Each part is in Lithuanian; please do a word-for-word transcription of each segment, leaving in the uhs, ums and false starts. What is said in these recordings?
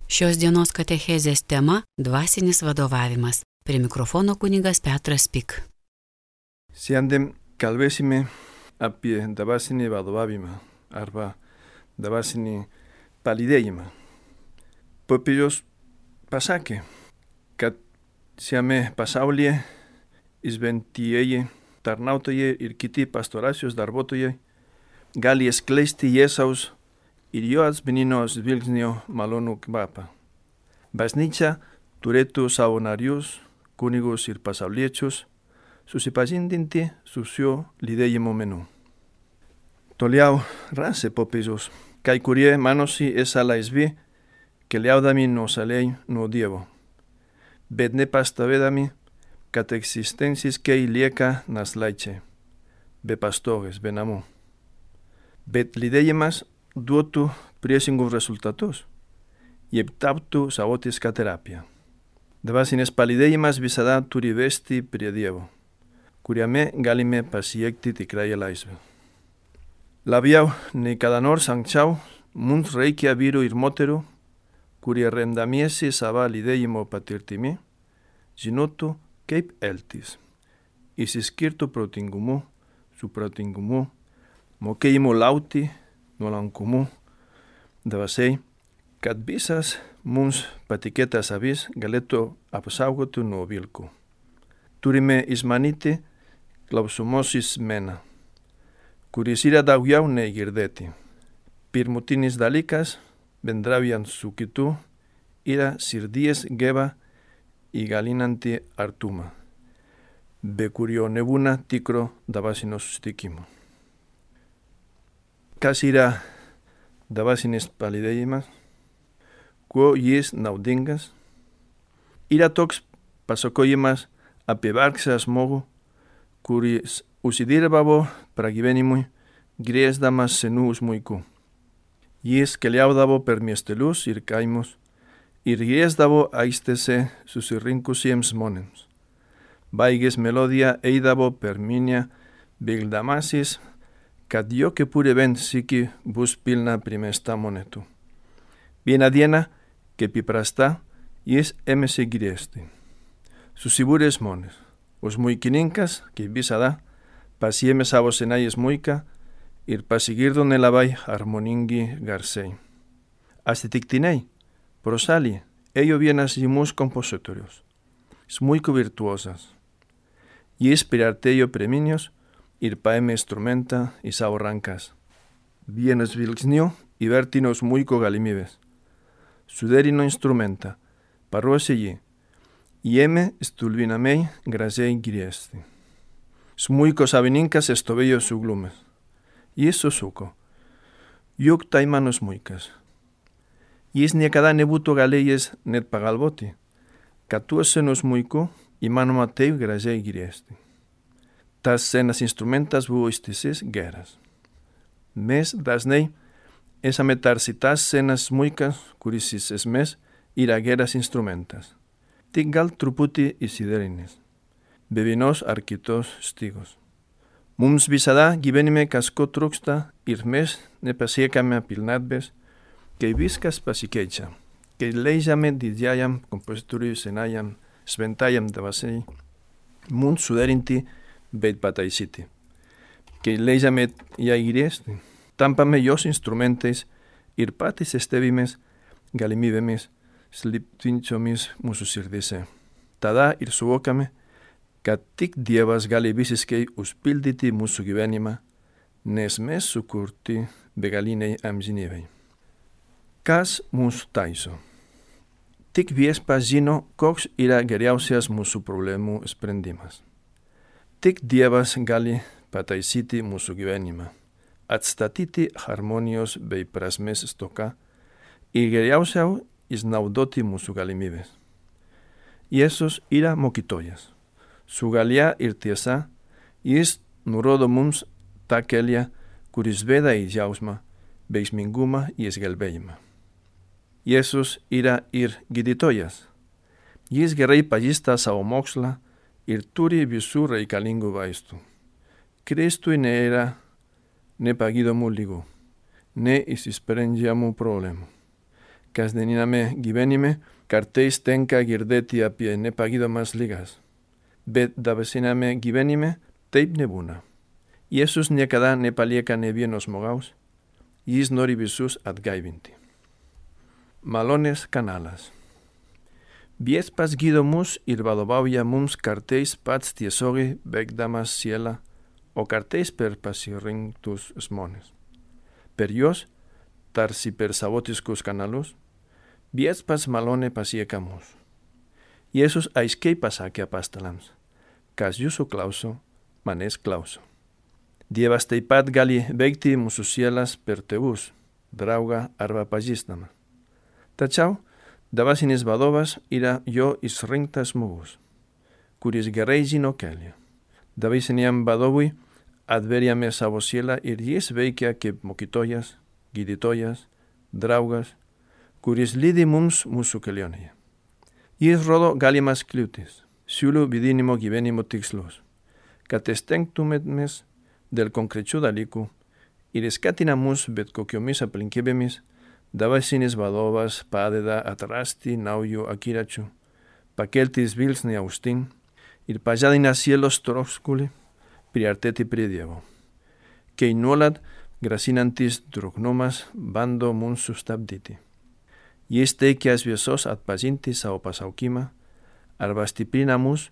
Šios dienos katechezės tema – dvasinis vadovavimas. Prie mikrofono kunigas Petras Pik. Šiandien kalbėsime apie dvasinį vadovavimą arba dvasinį palydėjimą. Popiežius pasakė, kad šiame pasaulyje šventieji tarnautojai ir kiti pastoracijos darbuotojai gali skleisti Jėzaus ir jo asmeninio žvilgsnio malonų kvapą. Bažnyčia turėtų savo narius, kunigus ir pasauliečius susipažindinti su šio lydėjimo menu. Toliau rašė popiežius, kai kurie manosi esą laisvi, keliaudami nuošaliai nuo Dievo, bet nepastebėdami, kad egzistenciškai lieka našlaičiai, be pastogės, be namų. Bet lydėjimas duotų priešingus rezultatus ir taptų savotiška terapija. Dvasinis palydėjimas visada turi vesti prie Dievo, kuriame galime pasiekti tikrąją laisvę. Labiau nei kada nors anksčiau, mums reikia vyrų ir moterų, kurie remdamiesi savo lydėjimo patirtimi, žinotų, kaip elgtis, išsiskirtų protingumu, supratingumu, mokėjimu laukti, nuolankumu, dvasiai, kad visas mums patikėtas avis galėtų apsaugoti nuo vilkų. Turime išmanyti klausomosis meną, kuris yra daugiau nei girdėti. Pirmutinis dalykas, bendraujant su kitu, yra širdies geba įgalinanti artumą, be kurio nebūna tikro dvasinio susitikimo. Kas yra dvasinis palydėjimas? Kuo jis naudingas? Yra toks pasakojimas apie vargšą žmogų, kuris užsidirbavo pragyvenimui, grieždamas senų smuikų. Jis keliaudavo per miestelius ir kaimus ir grieždavo aikštėse susirinkusiems žmonėms. Baigęs melodiją eidavo per minią, vildamasis, kad jo kepurė bent sykį bus pilna primesta monetų. Vieną dieną, kaip įprasta, jis ėmėsi griežti. Susibūrė žmonės, o smuikininkas, kaip visada, pasiėmė savo senąją smuiką ir pasigirdo nelabai harmoningi garsai. Atsitiktinai, pro šalį ėjo vienas žymus kompozitorius, smuiko virtuozas. Jis priartėjo prie minios ir paėmė instrumentą į savo rankas. Vienu žvilgsniu įvertino smuiko galimybės. Suderino instrumentą, paruošė jį, ėmė stulbinamai gražiai griesti. Smuiko savininkas stovėjo suglumęs. Jis susuko. Juk tai mano smuikas. Jis niekada nebūtų galėjęs net pagalvoti, kad tuo senu smuiku įmanoma taip gražiai griesti. Tas senas instrumentas buvo ištisės geras. Mes dažnai esame tarsi tas senas smuikas, kuris iš esmės yra geras instrumentas. Tik gal truputį išsiderinęs, be vienos ar kitos stygos. Mums visada gyvenime kažko trūksta ir mes nepasiekame pilnatvės, kai viskas pasikeičia, kai leidžiame didžiajam kompozitoriui senajam šventajam dvasiai mums suderinti bet pataisyti. Kai leidžiame ją griesti, tampame jos instrumentais ir patys stebimės galimybėmis slypinčiomis mūsų širdise. Tada ir suvokame, kad tik Dievas gali visiškai užpildyti mūsų gyvenimą, nes mes sukurti begaliniai amžinybei. Kas mūsų taiso? Tik Viešpats žino, koks yra geriausias mūsų problemų sprendimas. Tik Dievas gali pataisyti mūsų gyvenimą, atstatyti harmonijos bei prasmės stoką ir geriausiau išnaudoti mūsų galimybės. Jėzus yra mokytojas. Su galia ir tiesa jis nurodo mums tą kelią, kuris veda į džiaugsmą, veiksmingumą ir išgelbėjimą. Jėzus yra ir gydytojas. Jis gerai pažįsta savo mokslą ir turi visų reikalingų vaistų. Kristui nėra nepagydomų lygų, neišsprendžiamų problemų. kasdieniname gyvenime kartais tenka girdėti apie nepagydomas ligas, bet dvasiname gyvenime taip nebūna. Jėzus niekada nepalieka ne vieno žmogaus, jis nori visus atgaivinti. Malonės kanalas. Viešpats gydo mus ir vadovauja mums kartais pats tiesiogiai veikdamas sielą, o kartais per pasirinktus žmonės. Per juos, tarsi per savotiškus kanalus, viešpats malonė pasiekia mus. Jėzus aiškiai pasakė apaštalams, kas jūsų klauso, manęs klauso. Dievas taip pat gali veikti mūsų sielas per tėvus, draugą arba pažįstamą. Tačiau dvasinis vadovas yra jo išrinktas žmogus, kuris gerai žino kelią. Dvasiniam vadovui atveriame savo sielą ir jis veikia kaip mokytojas, gydytojas, draugas, kuris lydi mums mūsų kelionėje. Jis rodo galimas kliūtis, siūlo vidinimo gyvenimo tikslus, kad stengtumėmės dėl konkrečių dalykų ir skatina mus bet kokiomis aplinkybėmis. Dvasinis vadovas padeda atrasti naujų akiračių, pakelti žvilgsnį aukštyn ir pažadina sielos troškulį priartėti prie Dievo, kai nuolat grasinantis truknumas bando mums sustabdyti. Jis teikia šviesos atpažinti savo pasaukimą arba stiprina mus,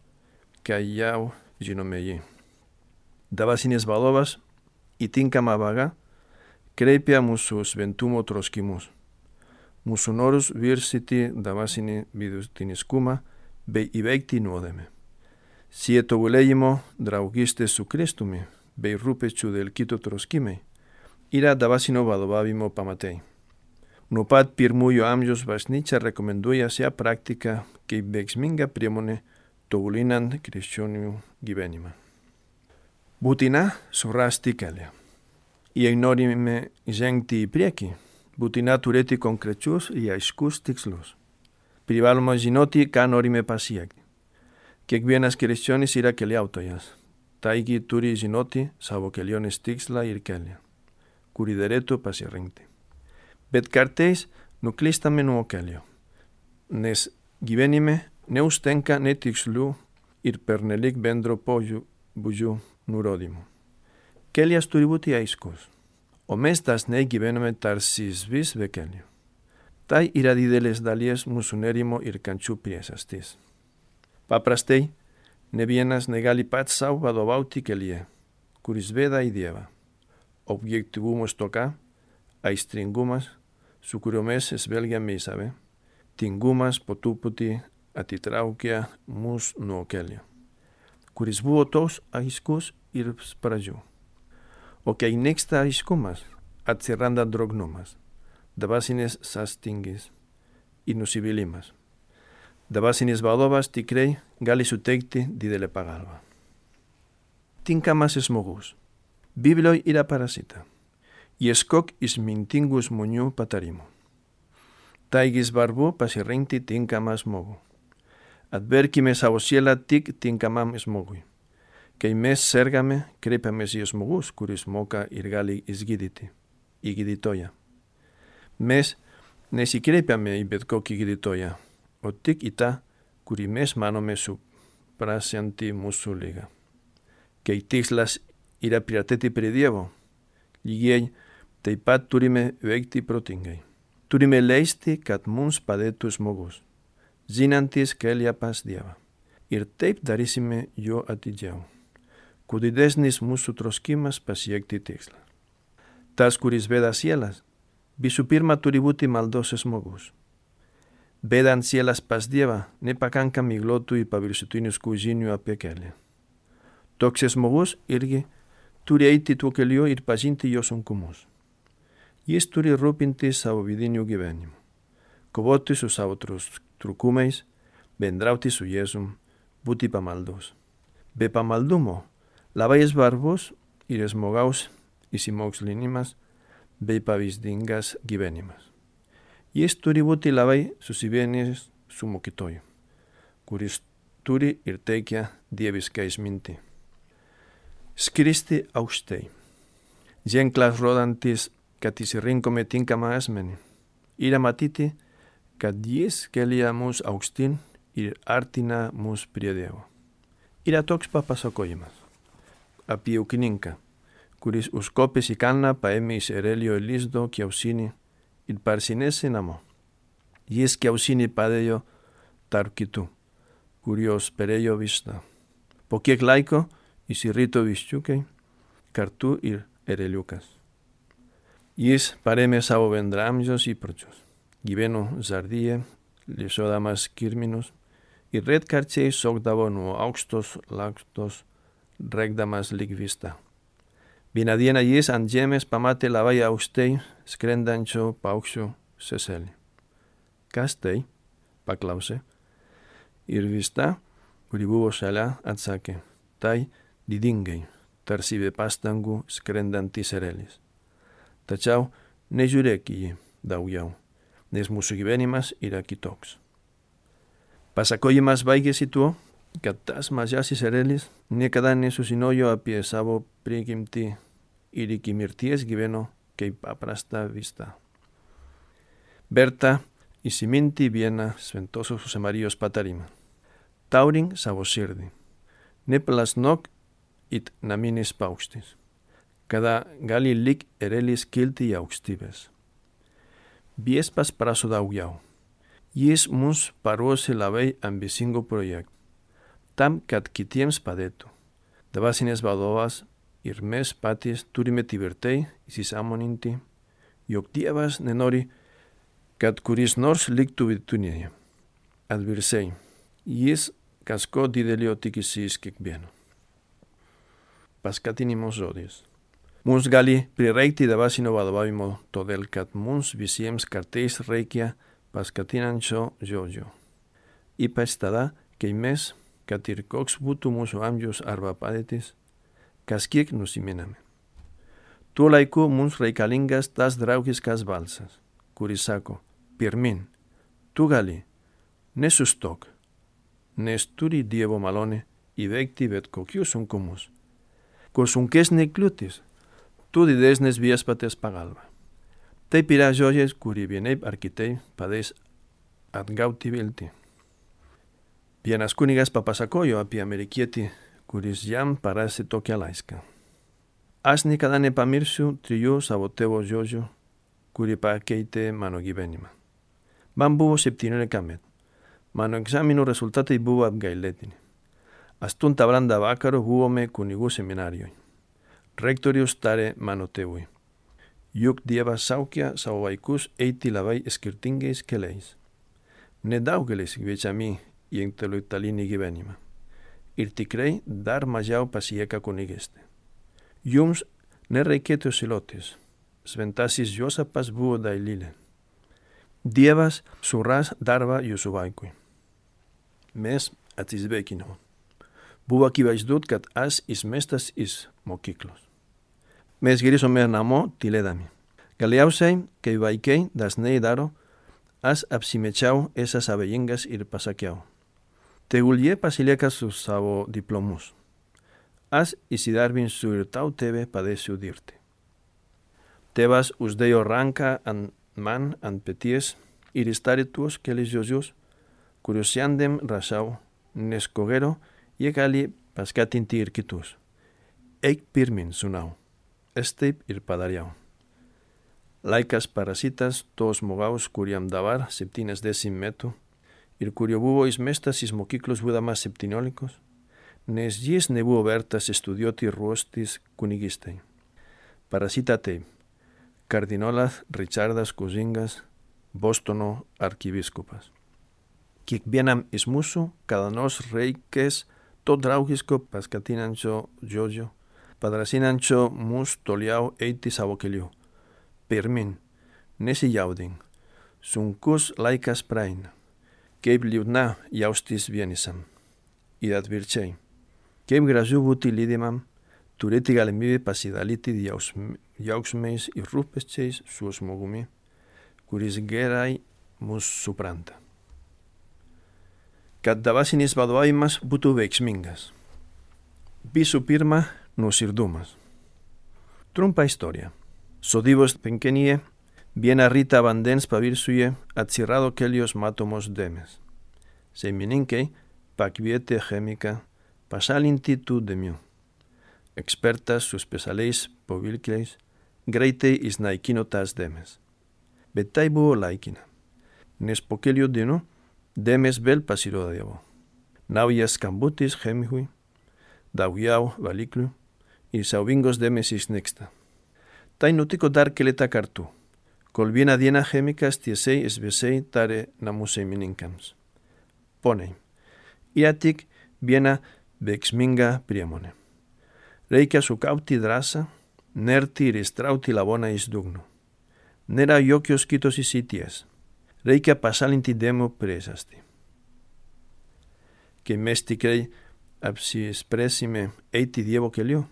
kai jau žinome jį. Dvasinis vadovas į tinkamą vagą kreipia mūsų šventumo troškimus, mūsų norus viršyti dvasinį vidutiniškumą bei įveikti nuodėmę. Šie tobulėjimo, draugystės su Kristumi bei rūpesčių dėl kito troškimai yra dvasinio vadovavimo pamatai. Nuo pat pirmųjų amžiaus bažnyčia rekomenduoja šią praktiką kaip veiksminga priemonė tobulinant krikščionių gyvenimą. Būtina surasti kelią. Jei norime žengti į priekį, būtina turėti konkrečius ir aiškus tikslus. Privaloma žinoti, ką norime pasiekti. Kiekvienas krikščionis yra keliautojas, taigi turi žinoti savo kelionės tikslą ir kelią, kurį derėtų pasirinkti. Bet kartais nuklystame nuo kelio, nes gyvenime neužtenka netikslų ir pernelyg bendro pobūdžio nurodymų. Kelias turi būti aiškus, o mes dažnai gyvename tarsi vis be kelio. Tai yra didelės dalies mūsų nerimo ir kančių priežastis. Paprastai, ne vienas negali pats savo vadovauti kelyje, kuris veda į Dievą. Objektyvumo stoka, aistringumas, su kuriuo mes žvelgiame į save, tingumas po truputį atitraukia mus nuo kelio, kuris buvo toks aiškus ir pradžių. O kai nyksta aiškumas, atsiranda drognumas, dvasinis sąstingis ir nusivylimas. Dvasinis vadovas tikrai gali suteikti didelę pagalbą. Tinkamas žmogus. Biblijoje yra parašyta: ieškok išmintingų žmonių patarimų. Taigi svarbu pasirinkti tinkamą žmogų. Atverkime savo sielą tik tinkamam žmogui. Kai mes sergame, kreipiamės į žmogus, kuris moka ir gali išgydyti, į gydytoją. Mes nesikreipiame į bet kokį gydytoją, o tik į tą, kurį mes manome suprasianti mūsų ligą. Kai tikslas yra priartėti prie Dievo, lygiai taip pat turime veikti protingai. Turime leisti, kad mums padėtų žmogus, žinantis kelią pas Dievą. Ir taip darysime jo atidžiau. Kuo didesnis mūsų troškimas pasiekti tikslą. Tas, kuris veda sielas, visų pirma turi būti maldos žmogus. Vedant sielas pas Dievą, nepakanka miglotų ir paviršutiniškų žinių apie kelią. Toks žmogus irgi turi eiti tuo keliu ir pažinti jo sunkumus. Jis turi rūpinti savo vidiniu gyvenimu, kovoti su savo trūkumais, bendrauti su Jėzum, būti pamaldus. Be pamaldumo labai svarbus ir žmogaus įsimokslinimas bei pavyzdingas gyvenimas. Jis turi būti labai susivienijęs su mokytoju, kuris turi ir teikia dievišką išmintį. Skristi aukštai. Ženklas rodantis, kad išsirinkome tinkamą asmenį, yra matyti, kad jis kelia mus aukštyn ir artina mus prie Dievo. Yra toks papasakojimas apie ūkininką, kuris užkopęs į kalną paėmė iš erelio lizdo kiaušinį ir parsinešė namo. Jis kiaušinį padėjo tarp kitų, kurios perėjo vištą. Po kiek laiko išsirito viščiukai, kartu ir ereliukas. Jis parėmė savo bendramžius įpročius. Gyveno zardyje, lėšodamas kirminus ir retkarčiais šokdavo nuo aukštos laktos, rėkdamas lyg vištą. Vieną dieną jis ant žemės pamatė labai aukštai skrendančio paukščio seselį. Kas tai? Paklausė. Ir višta, kuri buvo šalia, atsakė. Tai didingai, tarsi be pastangų skrendantis erelis. Tačiau nežiūrėk į jį daugiau, nes mūsų gyvenimas yra kitoks. Pasakojimas baigėsi tuo, kad tas mažasis erelis niekada nesužinojo apie savo prigimtį ir iki mirties gyveno kaip paprasta višta. Verta įsiminti vieną Šventosios Marijos patarimą. Taurink savo širdį. Neplasnok it naminis paukštis, kada gali lyg erelis kilti į aukštybės. Viešpats prašo daugiau. Jis mums paruošė labai ambicingų projektų, tam, kad kitiems padėtų. Dvasinis vadovas ir mes patys turime tvirtai įsisąmoninti, jog Dievas nenori, kad kuris nors liktų vidutinėje. Atvirkščiai, jis kažko didelio tikisi iš kiekvieno. Paskatinimo žodis. Mums gali prireikti dvasinio vadovavimo, todėl kad mums visiems kartais reikia paskatinančio žodžio. Ypač tada, kai mes, kad ir koks būtų mūsų amžius arba padėtis, kažkiek nusiminame. Tuo laiku mums reikalingas tas draugiškas balsas, kuris sako, pirmin, tu gali, nesustok, nes turi Dievo malonė įveikti bet kokius sunkumus. Kuo sunkesnė kliūtis, tu didesnės viešpaties pagalba. Taip yra žodis, kurį vienaip ar kitaip padės atgauti viltį. Vienas kunigas papasakojo apie amerikietį, kuris jam parašė tokią laišką. Aš niekada nepamirsiu trijų savo tėvo žodžių, kuri pakeitė mano gyvenimą. Man buvo septyniolika metų. Mano egzaminų rezultatai buvo apgailėtini. Aštuntą valandą vakaro buvome kunigų seminarijoje. Rektorius tarė mano tėvui. Juk Dievas šaukia savo vaikus eiti labai skirtingais keliais. Nedaugelis kviečiami į intelektualinį gyvenimą. Ir tikrai dar mažiau pasieka kunigystė. Jums nereikėtų silotis. Šventasis Juozapas buvo dailylė. Dievas suras darbą jūsų vaikui. Mes atsisveikinome. Buvo akivaizdu, kad aš išmestas iš mokyklos. Mes grįžome namo tylėdami. Galiausiai, kai vaikai dažnai daro, aš apsimečiau esas abejingas ir pasakiau. Tegul jie pasilieka su savo diplomus. Aš įsidarbinsiu ir tau tėve padėsiu dirbti. Tėvas uždėjo ranką ant man ant peties ir ištarė tuos kelis žodžius, kuriuos šiandien rašau, nes ko gero jie gali paskatinti ir kitus. Eik pirmin, sūnau. Es taip ir padariau. Laikas parazitas to žmogaus, kuriam dabar septyniasdešimt metų ir kurio buvo išmestas iš mokyklos būdamas septyniolikos, nes jis nebuvo vertas studijuoti ir ruoštis kunigystei. Parazita taip. Kardinolas Richardas Kuzingas, Bostono arkivyskupas. Kiekvienam iš mūsų kada nors reikės to draugiško paskatinančio žodžio, padrasinančio mus toliau eiti savo keliu. Pirmin, nesijaudink, sunkus laikas praeina, kaip liūdna jaustis vienišam. Ir atvirkščiai, kaip gražu būti lydimam, turėti galimybę pasidalyti jausmais ir rūpesčiais su žmogumi, kuris gerai mus supranta. Kad dvasinis vadovavimas būtų veiksmingas. Visų pirma, nuoširdumas. Trumpa istorija. Sodybos penkenyje Viena rita vandens pavirsuje atsirado kelios matomos demes. Seimininkei pakvietė chemiką pašalinti tų dėmių. Ekspertas su specialiais povilkliais greitai išnaikino tas dėmes. Bet tai buvo laikina, nes po kelių dienų dėmes vėl pasirodavo. Naujas skambutis chemikui, daugiau valiklių ir siaubingos dėmes išnyksta. Tai nutiko dar keletą kartų, kol vieną dieną chemikas tiesiai šviesiai tarė namų šeimininkams. Poniai, yra tik viena veiksminga priemonė. Reikia sukaupti drąsą, nerti ir ištraukti lavoną iš dugno. Nėra jokios kitos išeities. Reikia pašalinti dėmų priežastį. Kai mes tikrai apsispręsime eiti Dievo keliu,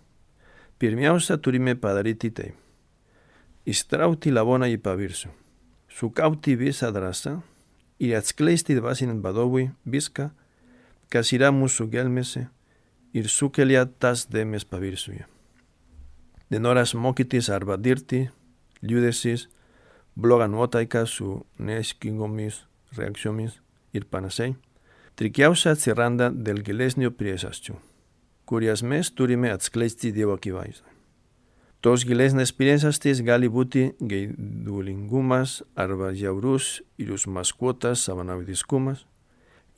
pirmiausia turime padaryti taip. Ištraukti lavoną į paviršių, sukaupti visą drąsą ir atskleisti dvasiniam vadovui viską, kas yra mūsų gelmėse ir sukelia tas dėmes paviršiuje. Nenoras mokytis arba dirbti, liūdesys, bloga nuotaika su neaiškingomis reakcijomis ir panašiai, trikiausia atsiranda dėl gilesnių priežasčių, kurias mes turime atskleisti Dievo akivaizdoje. Tos gilesnės priežastys gali būti geidulingumas arba žiaurus ir užmaskuotas savanaudiškumas,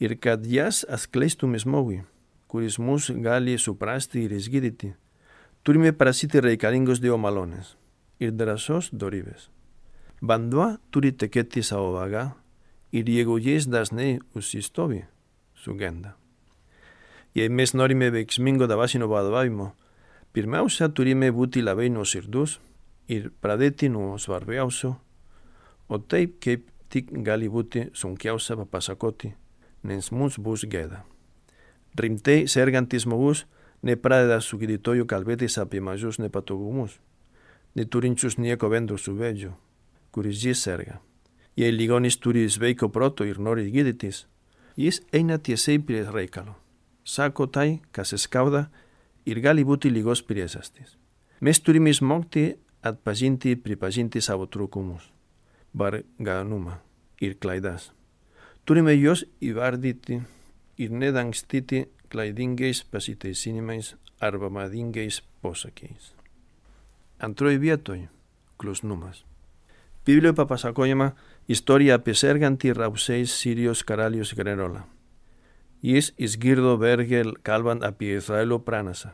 ir kad jas atskleistume žmogui, kuris mus gali suprasti ir išgydyti, turime prašyti reikalingos Dievo malonės ir drąsos dorybės. Vanduo turi tekėti savo vaga ir jeigu jis dažnai užsistovi, sugenda. Jei mes norime veiksmingo dvasinio vadovavimo, pirmiausia turime būti labai nuoširdus ir pradėti nuo svarbiausio, o taip kaip tik gali būti sunkiausia papasakoti, nes mums bus gėda. Rimtai sergantis žmogus nepradeda su gydytoju kalbėtis apie mažus nepatogumus, neturinčius nieko bendro su vėžiu, kuris jis serga. Jei ligonis turi sveiko proto ir nori gydytis, jis eina tiesiai prie reikalo. Sako tai, kas skauda ir gali būti ligos priežastis. Mes turime išmokti atpažinti ir pripažinti savo trūkumus, varganumą ir klaidas. Turime juos įvardyti ir nedangstyti klaidingais pasiteisinimais arba madingais posakiais. Antroji vietoj – klusnumas. Biblijoje papasakojama istorija apie sergantį Ramsės Sirijos karalius generolą. Jis išgirdo vergel kalbant apie Izraelio pranašą,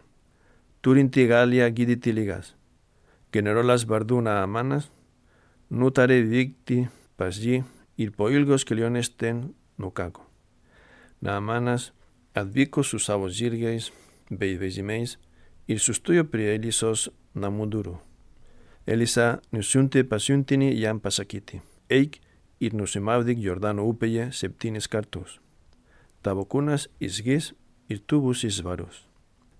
turintį galią gydyti ligas. Generolas vardu Naamanas nutarė vykti pas jį ir po ilgos kelionės ten nukako. Naamanas atvyko su savo žirgais bei vežimais ir sustojo prie Elisos namų durų. Elisa nusiuntė pasiuntinį jam pasakyti, eik ir nusimaudyk Jordano upėje septynis kartus. Tavo kūnas išgis ir tu būsi švarus.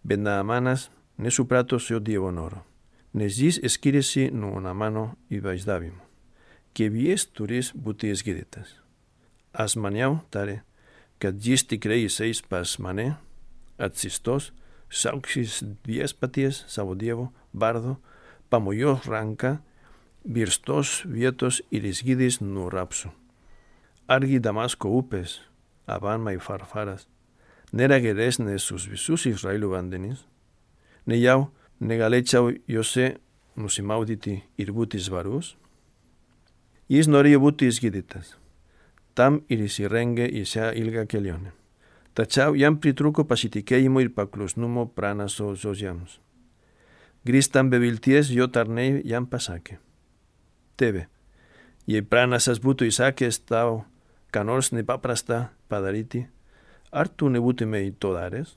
Bet Naamanas nesuprato šio Dievo noro, nes jis skiriasi nuo Naamano įvaizdavimo, kaip jis turės būti išgydytas. Aš maniau, tarė, kad jis tikrai eis pas mane, atsistos, šauksis viešpaties savo Dievo vardo, pamojos ranką, virstos vietos ir išgydys nuo rapsų. Argi Damasko upės, Abana ir Farfaras, nėra geresnės už visus Izraelio vandenis? Nejau negalėčiau juose nusimaudyti ir būti švarus? Jis norėjo būti išgydytas. Tam ir įsirengė į šią ilgą kelionę. Tačiau jam pritrūko pasitikėjimo ir paklusnumo pranašo žodžiams. Grįžtant be vilties, jo tarnai jam pasakė, tėve, jei pranašas būtų įsakęs tau, ką nors nepaprasta padaryti, ar tu nebūtumei to daręs?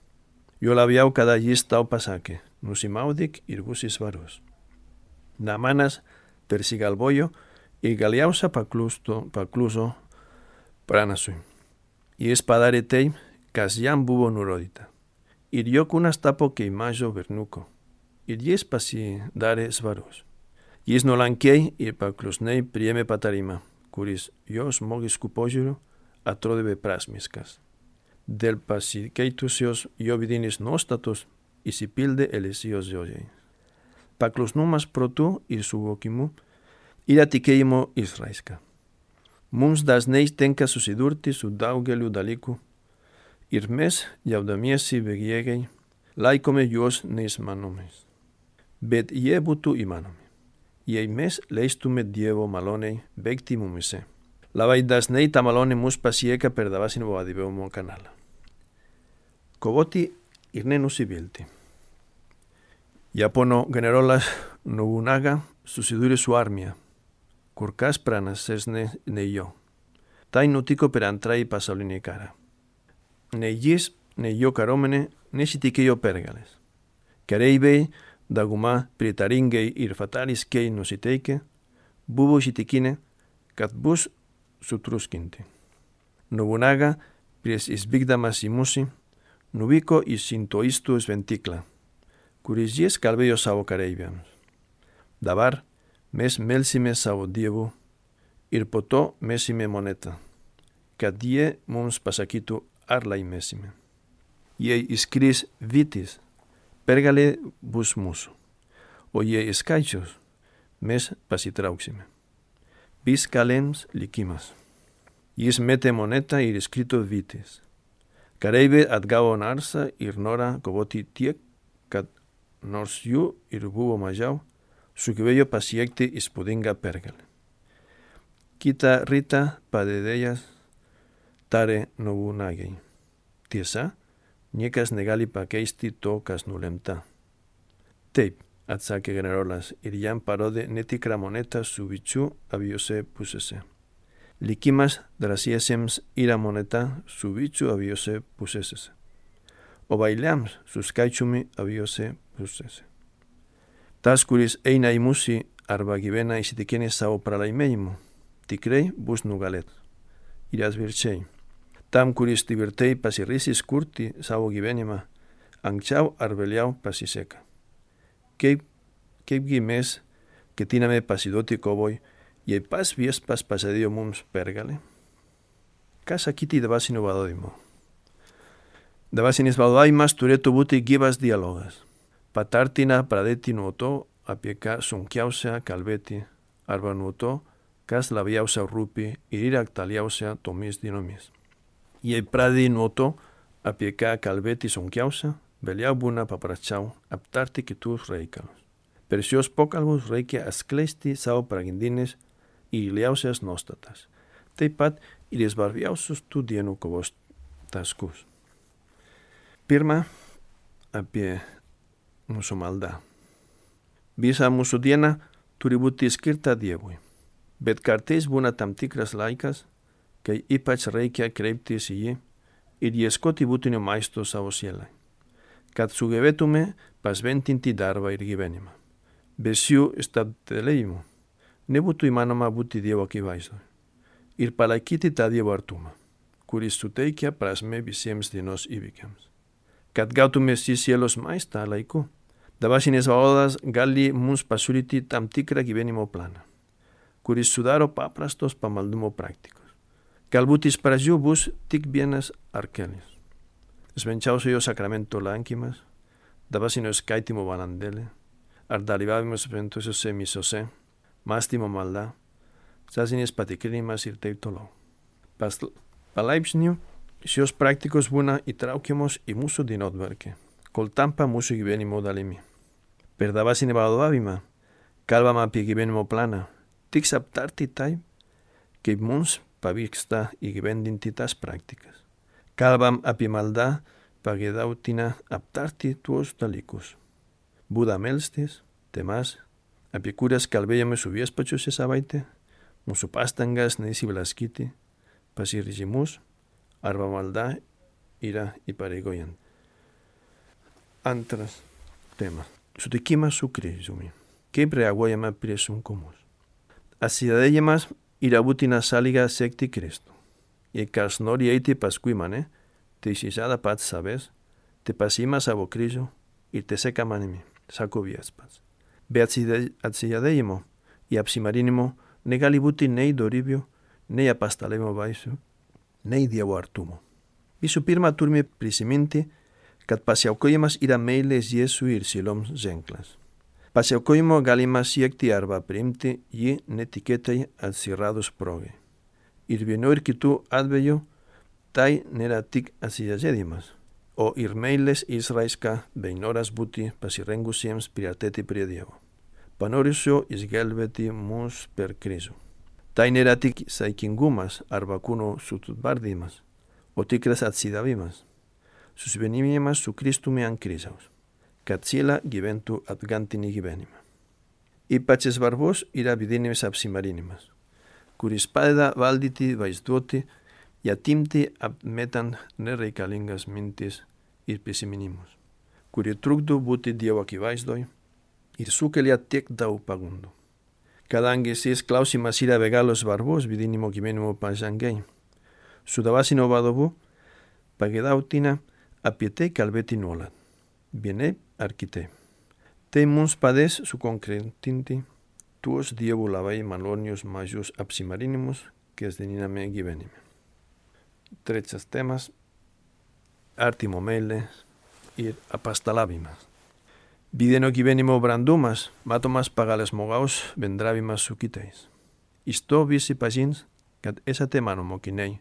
Jo labiau kada jis tau pasakė, nusimaudyk ir būsi švarus. Naamanas persigalvojo ir galiausia pakluso, pakluso pranašui. Jis padarė taip, kas jam buvo nurodyta. Ir jo kūnas tapo kaip mažo berniuko. Ir jis pasidarė švarus. Jis nuolankiai ir paklusniai priėmė patarimą, kuris jo žmogiškų požiūrių atrodė beprasmiskas. Dėl pasikeitusios jo vidinės nuostatos įsipildė Elisijos žodžiai. Paklusnumas protu ir suvokimu yra tikėjimo išraiška. Mums dažnai tenka susidurti su daugeliu dalykų ir mes, jaudamiesi bejėgiai, laikome juos neįmanomais. Bet jie būtų įmanomi, jei mes leistume Dievo malonei veikti mumise. Labai dažnai ta malonė mus pasiekia per dvasinio vadovavimo kanalą. Kovoti ir nenusivilti. Japono generolas Nobunaga susidūrė su armija, kur kas pranašesnė nei jo. Tai nutiko per antrąjį pasaulinį karą. Nei jis, nei jo kariuomenė nesitikėjo pergalės. Kareiviai, dauguma pritaringai ir fatališkai nusiteikę, buvo įsitikinę, kad bus sutruskinti. Nobunaga, prieš išvykdamas į mūšį, nuvyko į sintoistų šventyklą, kuris jis kalbėjo savo kareiviams. Dabar mes melsime savo Dievu ir po to mesime monetą, kad jie mums pasakytų, ar laimėsime. Jei iškris vytis, pergalė bus mūsų, o jei skaičius, mes pasitrauksime. Viską lems likimas. Jis metė monetą ir iškrito vytis. Kareiviai atgavo narsą ir norą kovoti tiek, kad nors jų ir buvo mažiau, sugebėjo pasiekti įspūdingą pergalę. Kitą rytą padedėjas tarė Nobunagai. Tiesa, niekas negali pakeisti to, kas nulemta. Taip, atsakė generolas ir jam parodė netikrą monetą su vyčiu abiejose pusėse. Likimas drąsiesiems yra moneta su vyčiu abiejose pusėse, o bailiams su skaičiumi abiejose pusėse. Tas, kuris eina į mūšį arba gyvena įsitikinęs savo pralaimėjimu, tikrai bus nugalėtas. Ir atvirkščiai. Tam, kuris tvirtai pasiryžęs kurti savo gyvenimą, anksčiau ar vėliau pasiseka. Kaip, kaipgi mes ketiname pasiduoti kovoj, jei pats viešpats pažadėjo mums pergalę? Ką sakyti dvasinio vadovimo? Dvasinis vadovavimas turėtų būti gyvas dialogas. Patartina pradėti nuo to, apie ką sunkiausia kalbėti, arba nuo to, kas labiausia rūpi ir yra aktualiausia tomis dienomis. Jei pradedi nuo to, apie ką kalbėti sunkiausia, vėliau būna paprasčiau aptarti kitus reikalus. Per šios pokalbius reikia atskleisti savo pagrindines ir giliausias nuostatas, taip pat ir svarbiausius tų dienų kovos taškus. Pirma, apie mūsų maldą. Visa mūsų diena turi būti skirta Dievui, bet kartais būna tam tikras laikas, kai ypač reikia kreiptis į jį ir ieškoti būtinio maisto savo sielai, kad sugebėtume pasventinti darbą ir gyvenimą. Be šių stabtelėjimų nebūtų įmanoma būti Dievo akivaizdoje ir palaikyti tą Dievo artumą, kuris suteikia prasmę visiems dienos įvykiams. Kad gautume šį sielos maistą laiku, dvasinis vadovavimas gali mums pasiūlyti tam tikrą gyvenimo planą, kuris sudaro paprastos pamaldumo praktikos. Galbūt iš pradžių bus tik vienas ar kelis. Švenčiausiojo sakramento lankymas, dvasinio skaitymo valandėlė, ar dalyvavimas šventosiose misose, mąstymo malda, sąžinės patikrinimas ir taip toliau. Palaipsniui šios praktikos būna įtraukiamos į mūsų dienotvarkę, kol tampa mūsų gyvenimo dalimi. Per dvasinį vadovavimą kalbam apie gyvenimo planą, tik aptarti taip, kaip mums pavyksta įgyvendinti tas praktikas. Kalbam apie maldą, pageidautina aptarti tuos dalykus. Būdą melstis, temas, apie kurias kalbėjome su viešpačiu šią savaitę, mūsų pastangas neįsiblaškyti, pasiryžimus arba malda yra įpareigojant. Antras temas. Sutikimas su Kristumi. Kaip reaguojame prie sunkumus? Atsidavimas yra būtina sąlyga sekti Kristų. Jei kas nori eiti paskui mane, tai išsižada pats savęs, te pasiima savo kryžių ir te seka manimi, sako viešpats. Be atsižadėjimo ir apsimarinimo negali būti nei dorybė, nei apaštalavimo vaisių, nei Dievo artumo. Visų pirma, turime prisiminti, kad pasiaukojimas yra meilės Jėzui ir sieloms ženklas. Pasiaukojimo galima siekti arba priimti jį netikėtai atsiradus progai. Ir vienu ir kitų atveju tai nėra tik atsižadėjimas, o ir meilės išraiška bei noras būti pasirengusiems priartėti prie Dievo, panorusio išgelbėti mus per Kristų. Tai nėra tik saikingumas arba kūno sutvardymas, o tikras atsidavimas, susivienijimas su Kristumi ant kryžiaus, kad siela gyventų atgantinį gyvenimą. Ypač svarbus yra vidinis apsimarinimas, kuris padeda valdyti vaizduoti i atimti apmetant nereikalingas mintis ir prisiminimus, kurie trukdo būti Dievo akivaizdoj ir sukelia tiek daug pagundų. Kadangi šis klausimas yra be galo svarbus vidinimo gyvenimo pažangai, su dvasiniu vadovu pageidautina apie tai kalbėti nuolat, vienaip ar kitaip. Tai mums padės sukonkretinti tuos Dievo labai malonius mažus apsimarinimus kasdieniniame gyvenime. Trečias temas – artimo meilė ir apaštalavimas. Vidinio gyvenimo brandumas matomas pagal žmogaus bendravimas su kitais. Iš to visi pažins, kad esate mano mokiniai,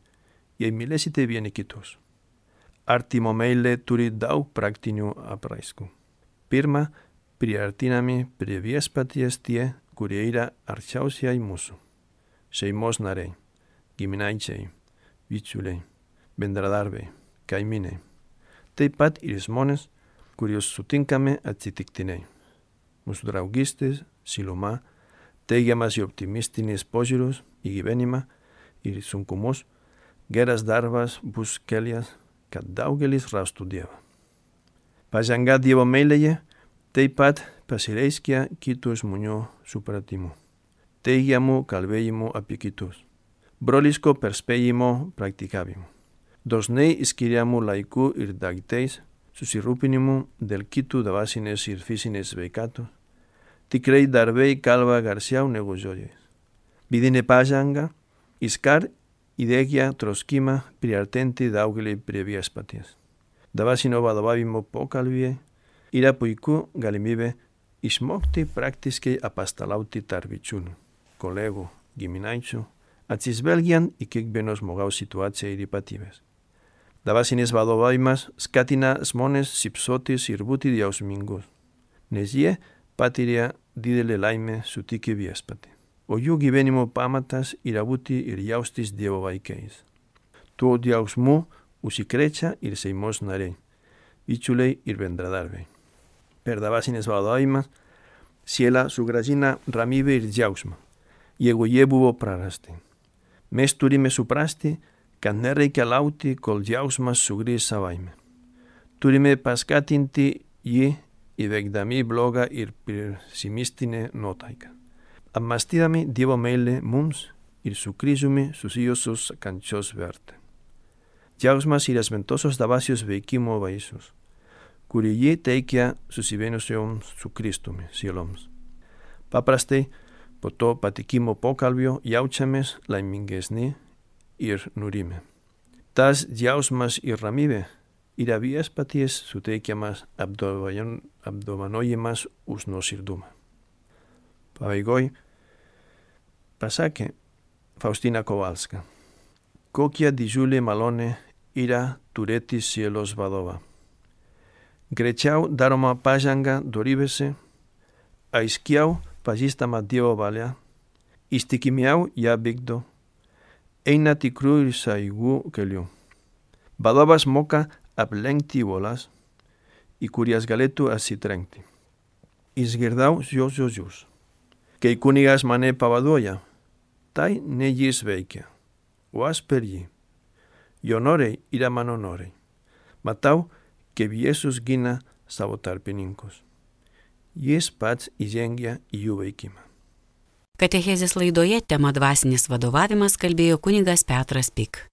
jei mylėsite vieni kitus. Artimo meilė turi daug praktinių apraiškų. Pirma, priartinami prie viešpaties tie, kurie yra arčiausiai mūsų. Šeimos nariai, giminaičiai, bičiuliai, bendradarbiai, kaimynai. Taip pat ir žmonės, kuriuos sutinkame atsitiktinai. Mūsų draugystės, šiluma, teigiamas ir optimistinis požiūris į gyvenimą ir sunkumus, geras darbas bus kelias, kad daugelis rastų Dievą. Pažanga Dievo meilėje taip pat pasireiškia kitų žmonių supratimu, teigiamų kalbėjimų apie kitus, broliško perspėjimo praktikavimu, dažnai skiriamų laikų ir daiktais, susirūpinimu dėl kitų dvasinės ir fizinės sveikatos, tikrai darbai kalba garsiau negu žodžiais. Vidinė pažanga iškart įdiegia troškimą priartėti daugelį prie viešpaties. Dvasinio vadovavimo pokalbyje yra puiku galimybė išmokti praktiškai apaštalauti tarp bičiulių, kolegų, giminaičių, atsižvelgiant į kiekvieno žmogaus situaciją ir ypatybės. Dvasinis vadovavimas skatina žmones šypsotis ir būti jausmingus, nes jie patiria didelę laimę sutikę viešpatį, o jų gyvenimo pamatas yra būti ir jaustis Dievo vaikais. Tuo jausmu užsikrečia ir šeimos nariai, bičiuliai ir bendradarbiai. Per dvasinis vadovavimas siela sugrąžina ramybę ir džiaugsmą, jeigu jie buvo prarasti. Mes turime suprasti, kad nereikia laukti, kol džiaugsmas sugrįš savaime. Turime paskatinti jį įveikdami blogą ir pesimistinę nuotaiką, apmąstydami Dievo meilę mums ir su Kristumi susijusios kančios vertę. Džiaugsmas yra šventosios dvasios veikimo vaisius, kurį jie teikia susivienijusioms su Kristumi sieloms. Paprastai, po to patikimo pokalbio jaučiamės laimingesni ir nurimę. Tas džiaugsmas ir ramybė yra viešpaties suteikiamas apdovanojimas už nuoširdumą. Pabaigoj pasakė Faustina Kowalska, kokia didžiulė malonė yra turėti sielos vadovą. Greičiau daroma pažanga dorybėse, aiškiau pažįstama Dievo valia, ištikimiau ją vykdo, eina tikrų ir saugų kelių. Vadovas moka aplenkti uolas, į kurias galėtų atsitrenkti. Išgirdau jos žodžius. Kai kunigas mane pavaduoja, tai ne jis veikia, o aš per jį. Jo norai yra mano norai. Matau, kaip Jėzus gina savo tarpininkus. Jis pats įžengia į jų veikimą. Katechezės laidoje tema dvasinis vadovavimas kalbėjo kunigas Petras Pik.